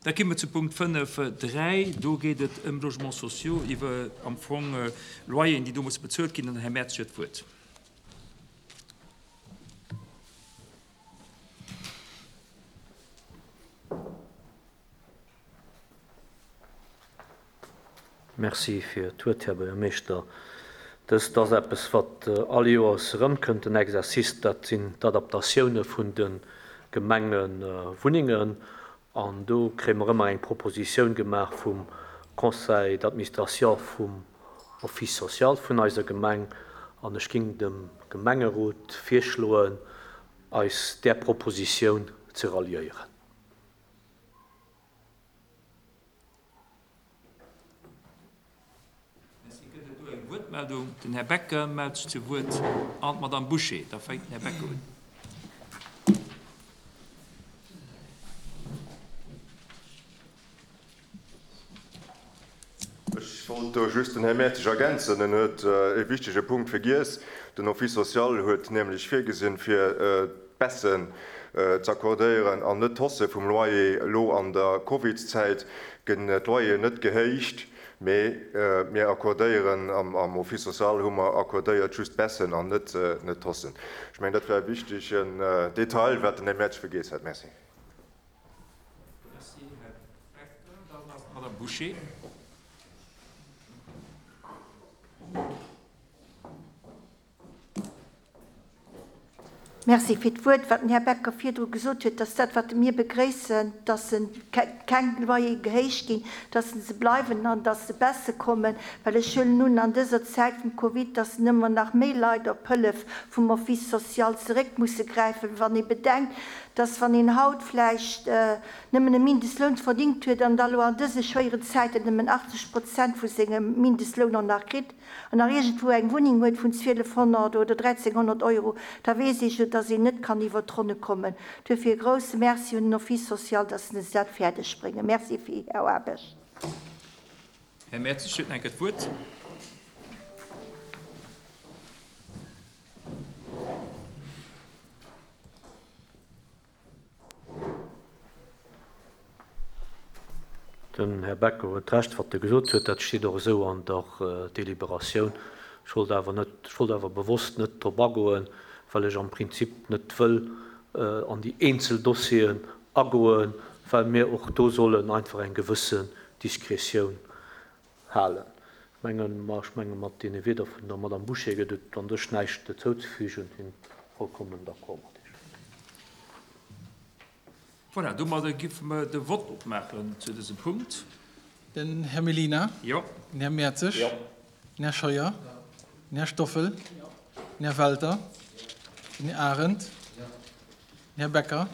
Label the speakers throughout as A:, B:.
A: Da gi mer zu Punkt 5, 3. Do geet et ëm Logements sociaux, iwwer am Fong Loyeren, déi do musse bezuelt ginn. An den Här Mertz huet d'Wuert.
B: Merci fir d'Wuert, Här Buergermeeschter. Dëst ass eppes, wat all Joers erëmkënnt, den Exercice, dat sinn d'Adaptatioune vun de Gemengewunnengen. An do kréie mer ëmmer eng Propositioun gemaach vum Conseil d'administration vum Office social vun eiser Gemeng. An ech géing dem Gemengerot virschloen, eis där Propositioun ze ralliéieren.
A: Merci. Gëtt et do eng Wuertmeldung? Den Här Becker mellt sech zu Wuert an d'Madame Bouché. Da fänkt den Här Becker un.
C: Ech wollt do just den Här Mertzig ergänzen. En huet e wichtege Punkt vergiess. Den Office social huet nämlech virgesinn, fir d'Baissen z'accordéieren an net d'Hausse vum Loyer. Elo an der Covidszäit ginn d'Loyeren net gehéicht, mee mir accordéieren, am Office social hu mer accordéiert just d'Baissen an net d'Haussen. Ech mengen, dat war e wichtegen Detail, wat den Här Mertsch vergiess hat. Merci.
A: Merci, Här Becker. Dann ass d'Madame Bouché.
D: Merci fir d'Wuert. Wat den Här Becker virdru gesot huet, dass dat, wat mir begréissen, dass keng Loyere gehéicht ginn, dass se bleiwen an dass se besser kommen, well ech huelen un, an dëser Zäit vum Covid, dass nëmmer nach méi Leit op Hëllef vum Office social zeréck musse gräifen, wann ee bedenkt, dass wann een haut vläicht nëmmen e Mindestloun verdingt huet an da lo an dëse schwéieren Zäiten nëmmen 80 Prozent vu sengem Mindestloun och nach kritt an nach iergendwou eng Wunneng huet vun 1200 oder 1300 Euro, da weess ee jo, dass een net kann iwwert d'Ronne kommen. Duerfir e grouse Merci un den Office social, dass se dat fäerdeg bréngen. Merci fir Är Aarbecht.
A: Här Mertz, ech huet nach eng Kéier d'Wuert.
B: Den Här Becker huet Recht, wat e gesot huet. Dat steet och esou an der Deliberatioun. Ech wollt awer net, ech wollt awer bewosst net drop agoen, well ech am Prinzip net wëll an déi eenzel Dossieren agoen, well mir och do sollen einfach eng gewëssen Diskretioun halen. Ech mengen, ma ech menge mat deene Wieder vun der Madame Bouché gëtt et an sech näischt dozouzefügen. Sinn vollkommen d'accord mat Iech.
A: Voilà, domadder giffe mer de Vott opmaachen zu dësem Punkt.
E: Den Här Mellina.
A: Jo.
E: Den Här Mertzig.
A: Jo.
E: Den Här Scheuer. Den Här Stoffel. Den Här Welter. Den Här Arendt. Den Här Becker.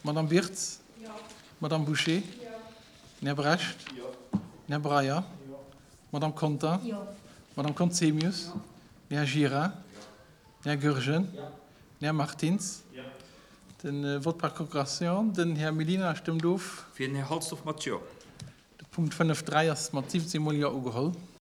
E: D'Madame Birtz. D'Madame Bouché. Den Här Brecht. Den Här Breyer. D'Madame Conter. D'Madame Conzemius. Den Här Gira. Den Här Goergen. Den Här Martins. De Vote par procuration. Den Här Mellina stëmmt of.
A: Fir den Här Halsdorf mat Jo.
E: De Punkt 5.3 ass mat 17 mol Jo ugeholl.